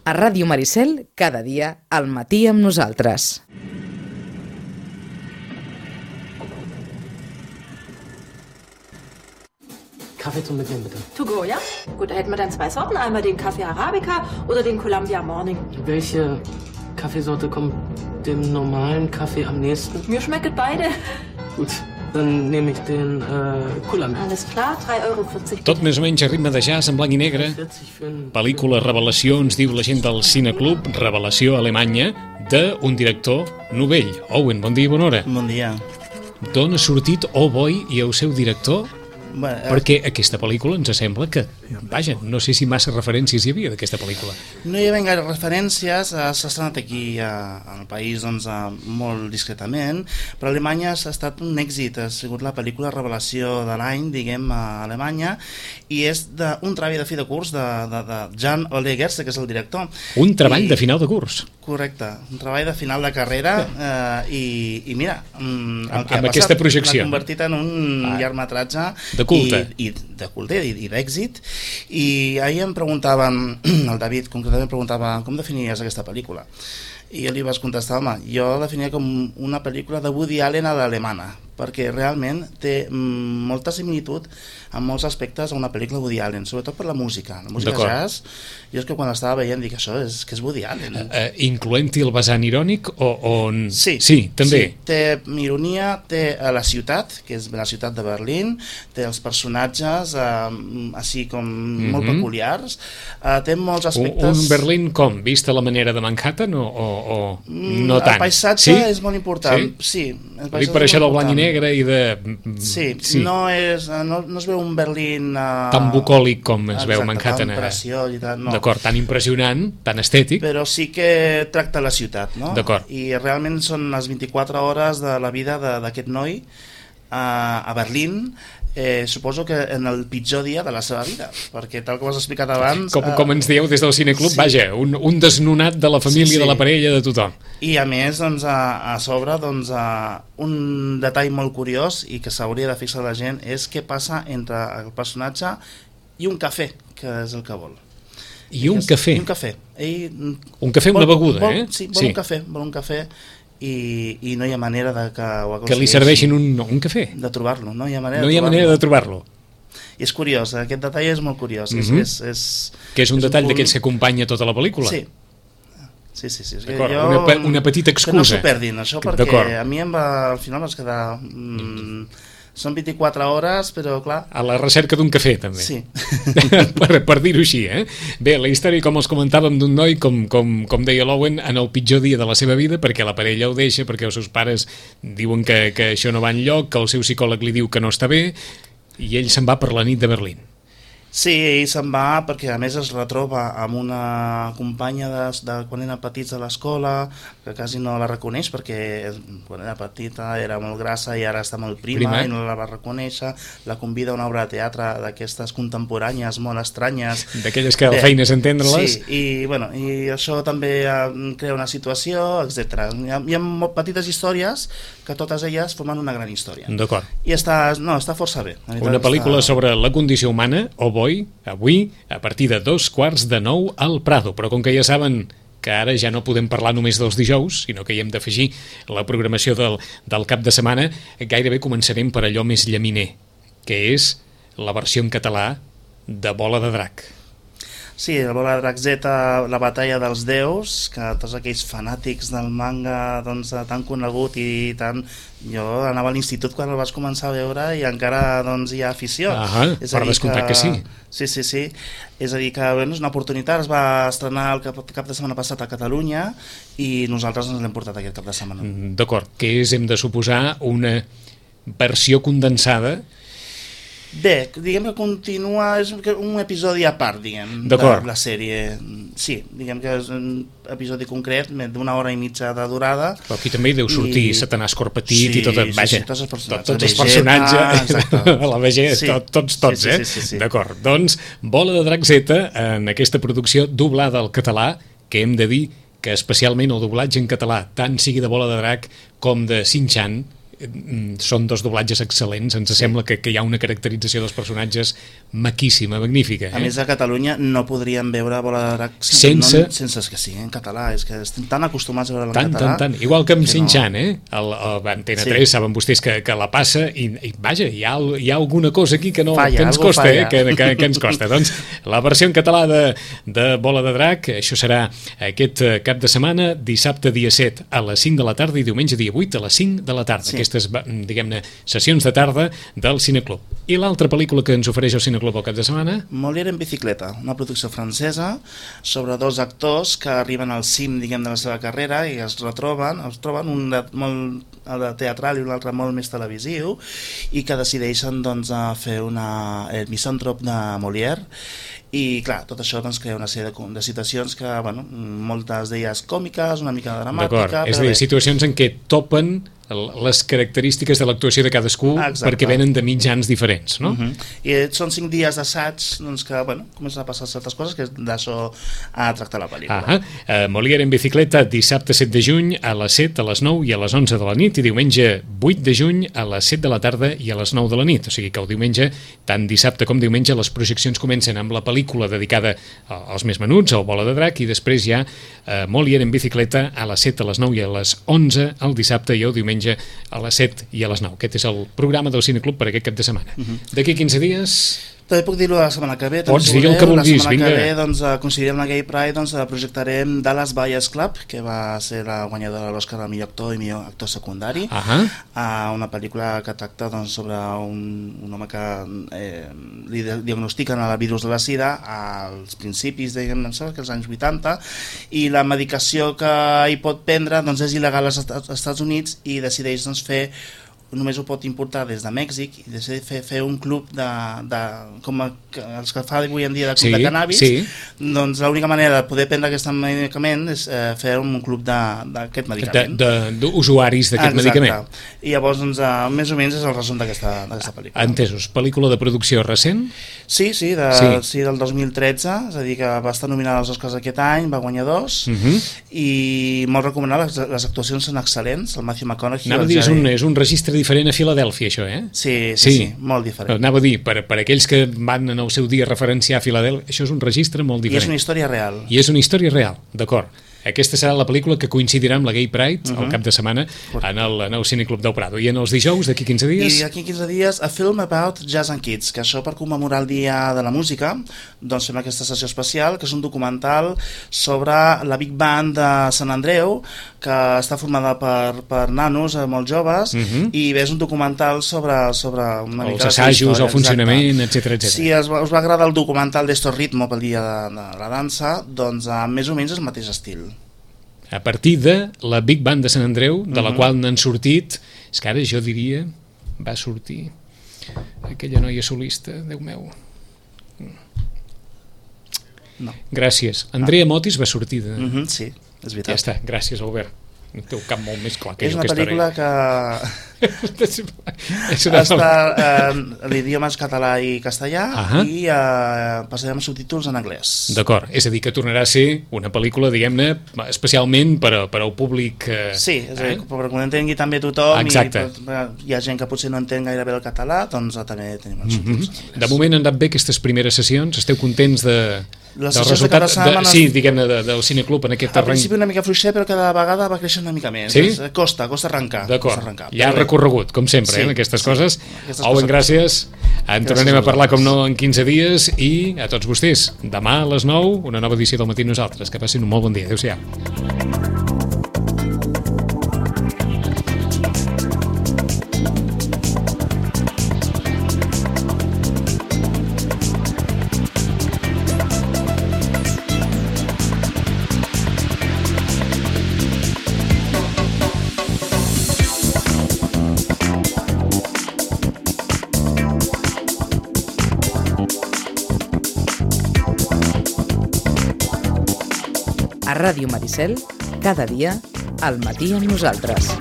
A Ràdio Maricel, cada dia, al matí amb nosaltres. Kaffee zum Mitnehmen, bitte. To go, ja? Gut, da hätten wir dann 2 Sorten. Einmal den Kaffee Arabica oder den Columbia Morning. Welche Kaffeesorte kommt dem normalen Kaffee am nächsten? Mir schmecken beide. Gut, dann nehme ich den Columbia. Alles klar, 3,40 €. Tot més o menys a ritme de jazz en blanc i negre. 40 für einen... Pel·lícula Revelació, ens diu la gent del Cineclub, Revelació Alemanya, d'un director novell. Owen, bon dia i bona hora. Bon dia. D'on ha sortit Oh Boy i el seu director? Bueno, Perquè aquesta pel·lícula ens sembla que, vaja, no sé si massa referències hi havia d'aquesta pel·lícula. no hi ha ben gaire referències, s'ha estrenat aquí al país doncs, molt discretament, però a Alemanya ha estat un èxit, ha sigut la pel·lícula revelació de l'any, diguem, a Alemanya, i és un treball de fi de curs de Jan Ole Gerste, que és el director. Un treball de final de curs. Correcte, un treball de final de carrera i mira, el que amb ha aquesta passat projecció. l'ha convertit en un llargmetratge de culte. I de culte i d'èxit. I ahir em preguntaven, el David concretament preguntava com definiries aquesta pel·lícula, i jo li vaig contestar, home, jo la definiria com una pel·lícula de Woody Allen a l'alemana, perquè realment té molta similitud en molts aspectes a una pel·lícula de Woody Allen, sobretot per la música jazz. Jo és que quan l'estava veient dic, això és que és Woody Allen. Incloent-hi el vessant irònic o... Sí, també. Sí, té ironia, té la ciutat, que és la ciutat de Berlín, té els personatges així com molt peculiars, té molts aspectes... Un Berlín com? Vist a la manera de Manhattan o no tant? El paisatge és molt important, sí. Dic per això del blanc i negre i de... Sí. No es veu un Berlín... tan bucòlic com es veu Manhattan. Tan preciós i tal, no. D'acord, tan impressionant, tan estètic. Però sí que tracta la ciutat, no? D'acord. I realment són les 24 hores de la vida d'aquest noi a Berlín, suposo que en el pitjor dia de la seva vida, perquè tal com has explicat abans... Com ens dieu des del Cineclub, vaja, un desnonat de la família, de la parella, de tothom. I a més, doncs, a sobre, doncs, un detall molt curiós i que s'hauria de fixar la gent és què passa entre el personatge i un cafè, que és el que vol. I un cafè? Un cafè. Un cafè, una beguda, Sí, vol un cafè. I no hi ha manera de que li serveixin un cafè, de trobar-lo, no hi ha manera de trobar-lo. I és curiós, aquest detall és molt curiós. Que és un detall d'aquells que acompanya tota la pel·lícula. Sí. Una petita excusa. Que no s'ho perdin, això, perquè a mi al final vaig quedar... Són 24 hores, però clar... A la recerca d'un cafè, també. Sí. per dir-ho així, Bé, la història, com els comentàvem, d'un noi, com deia l'Owen, en el pitjor dia de la seva vida, perquè la parella ho deixa, perquè els seus pares diuen que això no va enlloc, que el seu psicòleg li diu que no està bé, i ell se'n va per la nit de Berlín. Sí, ell se'n va perquè a més es retroba amb una companya de quan era petits a l'escola, que quasi no la reconeix perquè quan era petita era molt grassa i ara està molt prima. I no la va reconèixer, la convida a una obra de teatre d'aquestes contemporànies molt estranyes. D'aquelles que la feina és entendre-les. Sí, i això també crea una situació, etc. Hi ha petites històries que totes elles formen una gran història. D'acord. I està força bé. Una pel·lícula sobre la condició humana, avui, a partir de 8:45 al Prado, però com que ja saben que ara ja no podem parlar només dels dijous, sinó que hi hem d'afegir la programació del cap de setmana, gairebé començarem per allò més llaminer, que és la versió en català de Bola de Drac. Sí, la Bola de Drac Z, la batalla dels déus, que tots aquells fanàtics del manga doncs, tan conegut i tan... Jo anava a l'institut quan el vaig començar a veure i encara doncs, hi ha afició. Per descomptat que sí. Sí. És a dir, que és una oportunitat, es va estrenar el cap de setmana passat a Catalunya i nosaltres ens l'hem portat aquest cap de setmana. D'acord, que és, hem de suposar, una versió condensada. Bé, diguem que continua, és un episodi a part, diguem, de la sèrie. Sí, diguem que és un episodi concret d'una hora i mitja de durada. Però aquí també hi deu sortir Satanàs Corpetit i tot, vaja, tots els personatges, la Vegeta, tots, D'acord, doncs, Bola de Drac Z, en aquesta producció doblada al català, que hem de dir que especialment el doblatge en català, tant sigui de Bola de Drac com de Shin-Chan, són dos doblatges excel·lents, ens sembla que hi ha una caracterització dels personatges maquíssima, magnífica. A més, a Catalunya no podríem veure Bola de Drac sense que sigui en català, és que estem tan acostumats a veure en català. Tant. Igual que amb Shin-Chan, Antena 3, saben vostès que la passa i vaja, hi ha alguna cosa aquí que ens costa, que ens costa. Doncs la versió en català de Bola de Drac, això serà aquest cap de setmana, dissabte dia 7 a les 5 de la tarda i diumenge dia 8 a les 5 de la tarda. Aquestes, diguem-ne, sessions de tarda del Cineclub. I l'altra pel·lícula que ens ofereix el Cineclub al cap de setmana? Molière en bicicleta, una producció francesa sobre dos actors que arriben al cim, diguem, de la seva carrera i es troben un molt teatral i un altre molt més televisiu, i que decideixen doncs, fer el misàntrop de Molière. I clar, tot això doncs, crea una sèrie de situacions que, bueno, moltes d'elles còmiques, una mica dramàtica. D'acord, és a dir, situacions en què topen les característiques de l'actuació de cadascú. Exacte. Perquè venen de mitjans diferents, no? I són 5 dies d'assaig doncs, que, bueno, comencen a passar certes coses, que d'això ha tractat la pel·lícula. Molière en bicicleta, dissabte 7 de juny a les 7, a les 9 i a les 11 de la nit, i diumenge 8 de juny a les 7 de la tarda i a les 9 de la nit. O sigui que el diumenge, tant dissabte com diumenge, les projeccions comencen amb la pel·lícula dedicada als més menuts, al Bola de Drac, i després hi ha Molière en bicicleta a les 7, a les 9 i a les 11 el dissabte, i el diumenge a les 7 i a les 9. Aquest és el programa del Cineclub per aquest cap de setmana. D'aquí 15 dies... També puc dir-ho la setmana que ve. Pots dir el que vulguis, vinga. La setmana que ve, doncs, coincidirem la Gay Pride, doncs, projectarem Dallas Buyers Club, que va ser la guanyadora de l'Oscar al millor actor i millor actor secundari. Una pel·lícula que tracta doncs, sobre un home que li diagnostiquen el virus de la sida als principis, diguem, que els anys 80, i la medicació que hi pot prendre doncs, és il·legal als Estats Units, i decideix doncs, només ho pot importar des de Mèxic, i decideix fer un club com els que fa avui en dia de club de cannabis. Doncs l'única manera de poder prendre aquest medicament és fer un club d'aquest medicament. D'usuaris d'aquest medicament. I llavors, doncs, més o menys és el resum d'aquesta pel·lícula. Entesos. Pel·lícula de producció recent? Sí, del 2013, és a dir, que va estar nominada als Oscars aquest any, va guanyar 2, i molt recomanable, les actuacions són excel·lents, el Matthew McConaughey... Anava a dir, és un registre diferent a Filadèlfia, això, eh? Sí, molt diferent. Anava a dir, per aquells que van en el seu dia referenciar a Filadèlfia, això és un registre molt diferent. I és una història real. I és una història real, d'acord. Aquesta serà la pel·lícula que coincidirà amb la Gay Pride al cap de setmana en el Cineclub del Prado. I en els dijous, d'aquí 15 dies... I d'aquí 15 dies, A Film About Jazz and Kids, que això per commemorar el Dia de la Música, doncs fem aquesta sessió especial, que és un documental sobre la Big Band de Sant Andreu, que està formada per nanos molt joves, i és un documental sobre una mica... Els assajos, el funcionament, etc. Si us va agradar el documental d'Esto Ritmo pel Dia de la Dansa, doncs més o menys és el mateix estil. A partir de la Big Band de Sant Andreu, de la qual n'han sortit, és que ara jo diria, va sortir aquella noia solista, Déu meu. No. Gràcies. Andrea Motis va sortir de... Sí, és veritat. Ja està, gràcies, Albert. El teu cap molt més clar que és jo. És una pel·lícula que està l'idioma és català i castellà, i passarem subtítols en anglès. D'acord, és a dir, que tornarà a ser una pel·lícula, diguem-ne, especialment per al públic... Sí, és a dir, perquè ho entengui també tothom. Exacte. I hi ha gent que potser no entén gaire bé el català, doncs també tenim els subtítols en anglès. De moment han anat bé aquestes primeres sessions? Esteu contents del resultat del Cineclub en aquest terreny? Al principi una mica fluixer, però cada vegada va créixer una mica més. Sí? Costa arrencar. D'acord, hi ha recorregut, com sempre, en aquestes coses. Owen, gràcies. En tornarem a parlar, com no, en 15 dies, i a tots vostès, demà a les 9, una nova edició del Matí Nosaltres. Que passin un molt bon dia. Adéu-siau. A Ràdio Maricel, cada dia, al matí amb nosaltres.